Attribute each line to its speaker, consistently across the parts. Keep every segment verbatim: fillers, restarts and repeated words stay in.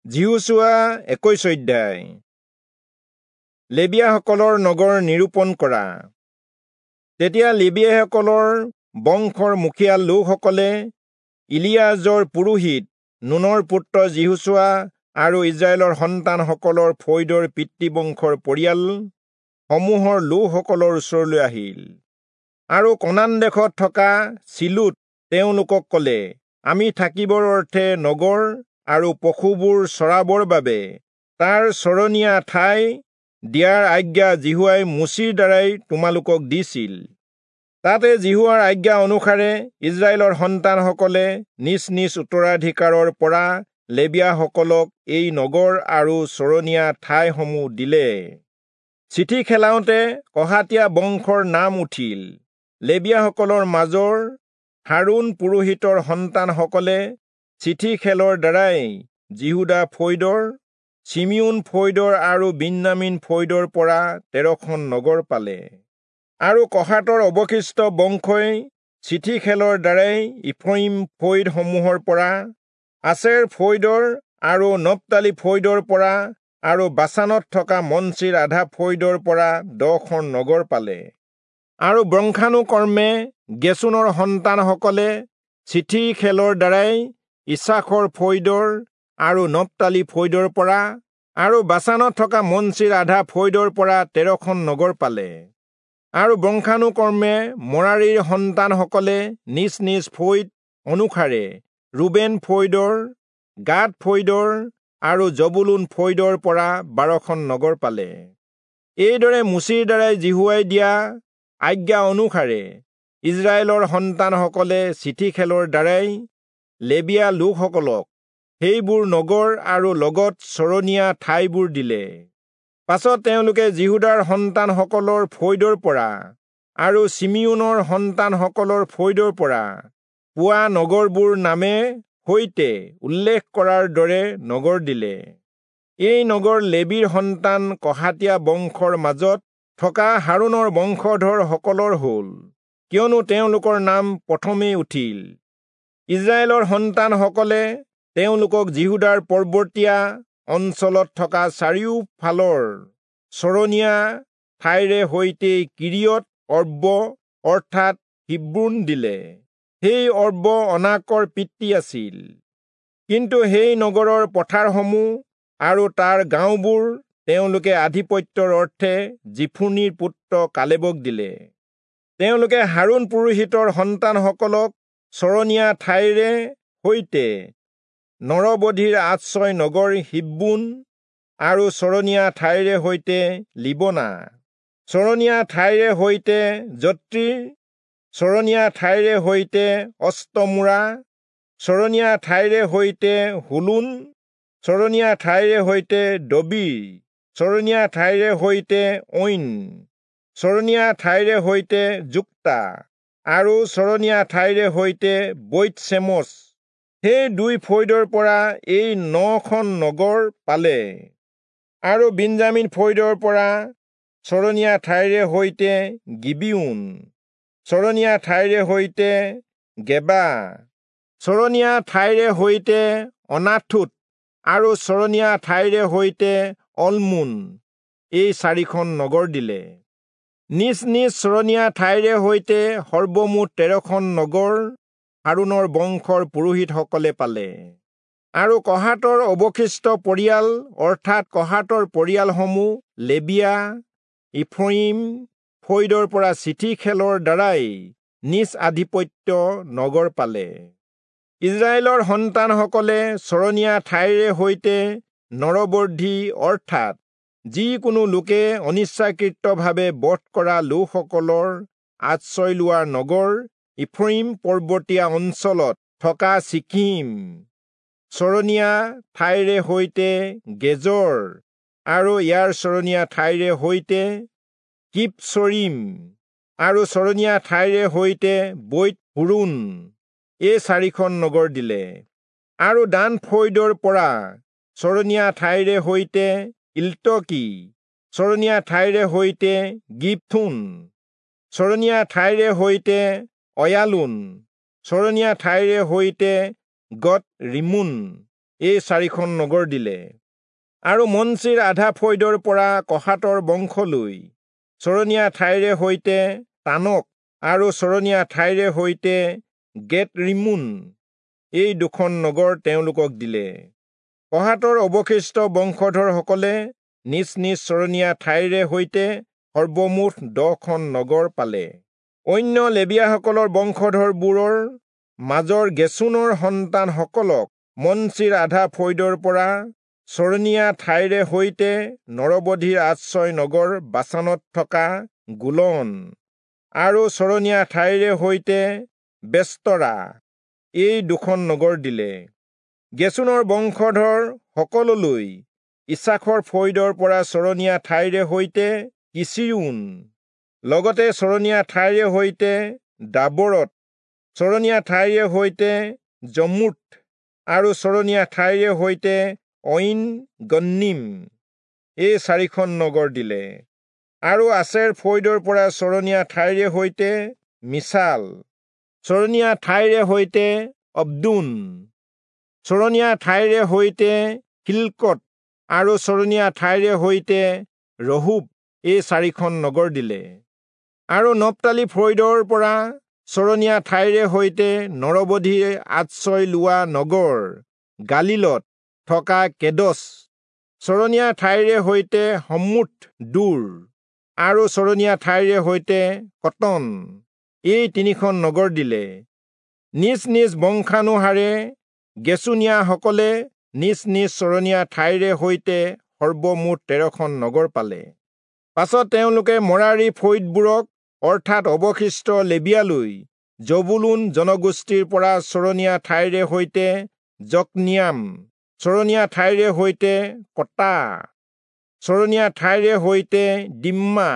Speaker 1: যিহোচূৱা একৈশ অধ্যায়। লেবীয়াসকলৰ নগৰ নিৰূপণ কৰা। তেতিয়া লেবীয়াসকলৰ বংশৰ মুখিয়াল লোকসকলে ইলিয়াজৰ পুৰোহিত নুনৰ পুত্ৰ যিহোচূৱা আৰু ইস্ৰায়েলৰ সন্তানসকলৰ ফৈদৰ পিতৃবংশৰ পৰিয়াল সমূহৰ লোকসকলৰ ওচৰলৈ আহিল আৰু কনান দেশত থকা চিলোত তেওঁলোকক কলে, আমি থাকিবৰ অৰ্থে নগৰ আৰু পশুবোৰ চৰাবৰ বাবে তাৰ চৰণীয়া ঠাই দিয়াৰ আজ্ঞা যিহোৱাই মোচিৰ দ্বাৰাই তোমালোকক দিছিল। তাতে যিহোৱাৰ আজ্ঞা অনুসাৰে ইস্ৰায়েলৰ সন্তানসকলে নিজ নিজ উত্তৰাধিকাৰৰ পৰা লেবীয়াসকলক এই নগৰ আৰু চৰণীয়া ঠাইসমূহ দিলে। চিঠি খেলাওঁতে কহাতীয়া বংশৰ নাম উঠিল। লেবীয়াসকলৰ মাজৰ হাৰোণ পুৰোহিতৰ সন্তানসকলে চিঠি খেলৰ দ্বাৰাই যিহূদা ফৈদৰ, চিমিয়োন ফৈদৰ আৰু বিন্যামীন ফৈদৰ পৰা তেৰখন নগৰ পালে। আৰু কহাতৰ অৱশিষ্ট বংশই চিঠি খেলৰ দ্বাৰাই ইফ্ৰয়িম ফৈদসমূহৰ পৰা, আচেৰ ফৈদৰ আৰু নপ্তালী ফৈদৰ পৰা আৰু বাচানত থকা মনচিৰ আধা ফৈদৰ পৰা দহখন নগৰ পালে। আৰু বংশানুক্ৰমে গেচোনৰ সন্তানসকলে চিঠি খেলৰ দ্বাৰাই ইচাখৰ ফৈদৰ আৰু নপ্তালী ফৈদৰ পৰা আৰু বাচানত থকা মনচিৰ আধা ফৈদৰ পৰা তেৰখন নগৰ পালে। আৰু বংশানুক্ৰমে মৰাৰীৰ সন্তানসকলে নিজ নিজ ফৈদ অনুসাৰে ৰুবেন ফৈদৰ, গাদ ফৈদৰ আৰু জবুলূন ফৈদৰ পৰা বাৰখন নগৰ পালে। এইদৰে মোচিৰ দ্বাৰাই যিহোৱাই দিয়া আজ্ঞা অনুসাৰে ইস্ৰায়েলৰ সন্তানসকলে চিঠি খেলৰ দ্বাৰাই লেবীয়া লোকসকলক সেইবোৰ নগৰ আৰু লগত চৰণীয়া ঠাইবোৰ দিলে। পাছত তেওঁলোকে যিহূদাৰ সন্তানসকলৰ ফৈদৰ পৰা আৰু চিমিয়োনৰ সন্তানসকলৰ ফৈদৰ পৰা পোৱা নগৰবোৰ নামে সৈতে উল্লেখ কৰাৰ দৰে নগৰ দিলে। এই নগৰ লেবীৰ সন্তান কহাতীয়া বংশৰ মাজত থকা হাৰোণৰ বংশধৰসকলৰ হ'ল, কিয়নো তেওঁলোকৰ নাম প্ৰথমেই উঠিল। ইস্ৰায়েলৰ সন্তানসকলে তেওঁলোকক যিহূদাৰ পৰ্বতীয়া অঞ্চলত থকা চাৰিওফালৰ চৰণীয়া ঠাইৰে সৈতে কিৰিয়ত অৰ্ব অৰ্থাৎ হিব্ৰোণ দিলে। সেই অৰ্ব অনাকৰ পিতৃ আছিল। কিন্তু সেই নগৰৰ পথাৰসমূহ আৰু তাৰ গাঁওবোৰ তেওঁলোকে আধিপত্যৰ অৰ্থে যিফুনিৰ পুত্ৰ কালেবক দিলে। তেওঁলোকে হাৰোণ পুৰোহিতৰ সন্তানসকলক চৰণীয়া ঠাইৰে সৈতে নৰবধিৰ আশ্ৰয় নগৰ হিব্ৰোণ আৰু চৰণীয়া ঠাইৰে সৈতে লিবনা, চৰণীয়া ঠাইৰে সৈতে যত্ৰীৰ, চৰণীয়া ঠাইৰে সৈতে অষ্টমোৰা, চৰণীয়া ঠাইৰে সৈতে হোলোন, চৰণীয়া ঠাইৰে সৈতে দবীৰ, চৰণীয়া ঠাইৰে সৈতে ঐন, চৰণীয়া ঠাইৰে সৈতে যুক্তা আৰু চৰণীয়া ঠাইৰে সৈতে বৈৎ-চেমচ, সেই দুই ফৈদৰ পৰা এই নখন নগৰ পালে। আৰু বিন্যামীন ফৈদৰ পৰা চৰণীয়া ঠাইৰে সৈতে গিবিয়োন, চৰণীয়া ঠাইৰে সৈতে গেবা, চৰণীয়া ঠাইৰে সৈতে অনাথোত আৰু চৰণীয়া ঠাইৰে সৈতে অলমোন, এই চাৰিখন নগৰ দিলে। নিজ নিজ চৰণীয়া ঠাইৰে সৈতে সৰ্বমুঠ তেৰখন নগৰ হাৰোণৰ বংশৰ পুৰোহিতসকলে পালে। আৰু কহাতৰ অৱশিষ্ট পৰিয়াল অৰ্থাৎ কহাতৰ পৰিয়ালসমূহ লেবীয়া ইফ্ৰয়িম ফৈদৰ পৰা চিঠি খেলৰ দ্বাৰাই নিজ আধিপত্য নগৰ পালে। ইস্ৰায়েলৰ সন্তানসকলে চৰণীয়া ঠাইৰে সৈতে নৰবৰ্ধী অৰ্থাৎ যিকোনো লোকে অনিচ্ছাকৃতভাৱে বধ কৰা লোকসকলৰ আশ্ৰয় লোৱা নগৰ ইফ্ৰয়িম পৰ্বতীয়া অঞ্চলত থকা চিখিম, চৰণীয়া ঠাইৰে সৈতে গেজৰ আৰু ইয়াৰ চৰণীয়া ঠাইৰে সৈতে কিবচৰীম আৰু চৰণীয়া ঠাইৰে সৈতে বৈৎ-হোৰোণ, এই চাৰিখন নগৰ দিলে। আৰু দান ফৈদৰ পৰা চৰণীয়া ঠাইৰে সৈতে ইল্টকী, চৰণীয়া ঠাইৰে সৈতে গিবথোন, চৰণীয়া ঠাইৰে সৈতে অয়ালোন, চৰণীয়া ঠাইৰে সৈতে গৎ ৰিম্মোন, এই চাৰিখন নগৰ দিলে। আৰু মনচিৰ আধা ফৈদৰ পৰা কহাতৰ বংশলৈ চৰণীয়া ঠাইৰে সৈতে তানক আৰু চৰণীয়া ঠাইৰে সৈতে গেট ৰিম্মোন, এই দুখন নগৰ তেওঁলোকক দিলে। কহাতৰ অৱশিষ্ট বংশধৰসকলে নিজ নিজ চৰণীয়া ঠাইৰে সৈতে সৰ্বমুঠ দহখন নগৰ পালে। অন্য লেবীয়াসকলৰ বংশধৰবোৰৰ মাজৰ গেচোনৰ সন্তানসকলক মনচিৰ আধা ফৈদৰ পৰা চৰণীয়া ঠাইৰে সৈতে নৰবধিৰ আশ্ৰয় নগৰ বাচানত থকা গোলন আৰু চৰণীয়া ঠাইৰে সৈতে বেস্তৰা, এই দুখন নগৰ দিলে। গেচোনৰ বংশধৰ সকললৈ ইছাখৰ ফৈদৰ পৰা চৰণীয়া ঠাইৰে সৈতে কিচিৰোন, লগতে চৰণীয়া ঠাইৰে সৈতে দাবৰত, চৰণীয়া ঠাইৰে সৈতে যমুত আৰু চৰণীয়া ঠাইৰে সৈতে ঐন গন্নিম, এই চাৰিখন নগৰ দিলে। আৰু আছেৰ ফৈদৰ পৰা চৰণীয়া ঠাইৰে সৈতে মিছাল, চৰণীয়া ঠাইৰে সৈতে অব্দোন, চৰণীয়া ঠাইৰে সৈতে হিল্কত আৰু চৰণীয়া ঠাইৰে সৈতে ৰহোব, এই চাৰিখন নগৰ দিলে। আৰু নপ্তালি ফৈদৰ পৰা চৰণীয়া ঠাইৰে সৈতে নৰবধিৰ আশ্ৰয় লোৱা নগৰ গালিলত থকা কেদছ, চৰণীয়া ঠাইৰে সৈতে হম্মোত দূৰ আৰু চৰণীয়া ঠাইৰে সৈতে কটন, এই তিনিখন নগৰ দিলে। নিজ নিজ বংশানুসাৰে গেচোনীয়াসকলে নিজ নিজ চৰণীয়া ঠাইৰে সৈতে সৰ্বমুঠ তেৰখন নগৰ পালে। পাছত তেওঁলোকে মৰাৰী ফৈদবোৰক অৰ্থাৎ অৱশিষ্ট লেবীয়ালৈ জবুলূন জনগোষ্ঠীৰ পৰা চৰণীয়া ঠাইৰে সৈতে যকনিয়াম, চৰণীয়া ঠাইৰে সৈতে কটা, চৰণীয়া ঠাইৰে সৈতে দিম্মা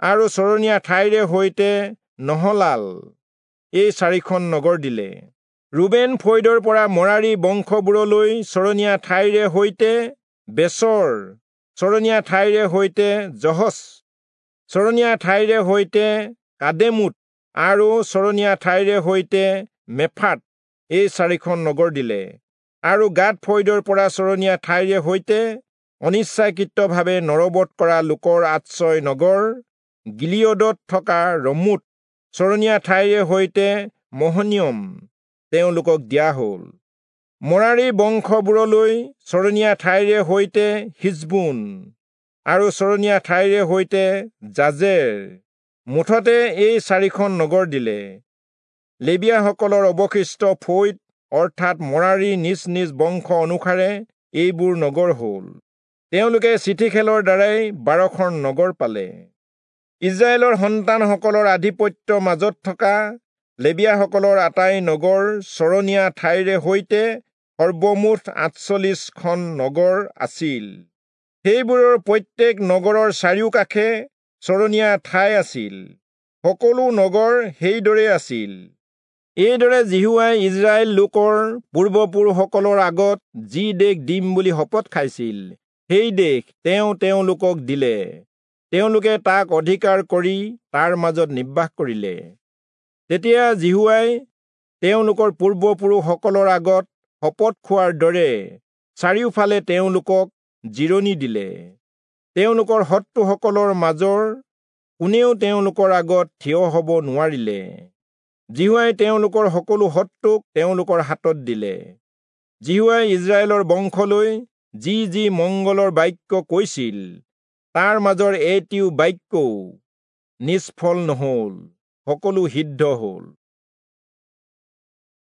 Speaker 1: আৰু চৰণীয়া ঠাইৰে সৈতে নহলাল, এই চাৰিখন নগৰ দিলে। ৰুবেন ফৈদৰ পৰা মৰাৰী বংশবোৰলৈ চৰণীয়া ঠাইৰে সৈতে বেচৰ, চৰণীয়া ঠাইৰে সৈতে জহচ, চৰণীয়া ঠাইৰে সৈতে কাদেমোত আৰু চৰণীয়া ঠাইৰে সৈতে মেফাত, এই চাৰিখন নগৰ দিলে। আৰু গাদ ফৈদৰ পৰা চৰণীয়া ঠাইৰে সৈতে অনিচ্ছাকৃতভাৱে নৰবধ কৰা লোকৰ আশ্ৰয় নগৰ গিলিয়দত থকা ৰমোত, চৰণীয়া ঠাইৰে সৈতে মহনিয়ম তেওঁলোকক দিয়া হ'ল। মৰাৰী বংশবোৰলৈ চৰণীয়া ঠাইৰে সৈতে হিচবোন আৰু চৰণীয়া ঠাইৰে সৈতে জাজেৰ, মুঠতে এই চাৰিখন নগৰ দিলে। লেবীয়াসকলৰ অৱশিষ্ট ফৈদ অৰ্থাৎ মৰাৰী নিজ নিজ বংশ অনুসাৰে এইবোৰ নগৰ হ'ল। তেওঁলোকে চিঠি খেলৰ দ্বাৰাই বাৰখন নগৰ পালে। ইস্ৰায়েলৰ সন্তানসকলৰ আধিপত্যৰ মাজত থকা লেবীয়াসকলৰ আটাই নগৰ চৰণীয়া ঠাইৰে সৈতে সৰ্বমুঠ আঠচল্লিশখন নগৰ আছিল। সেইবোৰৰ প্ৰত্যেক নগৰৰ চাৰিওকাষে চৰণীয়া ঠাই আছিল। সকলো নগৰ সেইদৰে আছিল। এইদৰে যিহোৱাই ইস্ৰায়েল লোকৰ পূৰ্বপুৰুষসকলৰ আগত যি দেশ দিম বুলি শপত খাইছিল, সেই দেশ তেওঁ তেওঁলোকক দিলে। তেওঁলোকে তাক অধিকাৰ কৰি তাৰ মাজত নিবাস কৰিলে। তেতিয়া যিহোৱাই তেওঁলোকৰ পূৰ্বপুৰুষসকলৰ আগত শপত খোৱাৰ দৰে চাৰিওফালে তেওঁলোকক জিৰণি দিলে। তেওঁলোকৰ শত্ৰুসকলৰ মাজৰ কোনেও তেওঁলোকৰ আগত থিয় হ'ব নোৱাৰিলে। যিহোৱাই তেওঁলোকৰ সকলো শত্ৰুক তেওঁলোকৰ হাতত দিলে। যিহোৱাই ইস্ৰায়েলৰ বংশলৈ যি যি মংগলৰ বাক্য কৈছিল, তাৰ মাজৰ এটিও বাক্যও নিষ্ফল নহল, সকলো সিদ্ধ হল।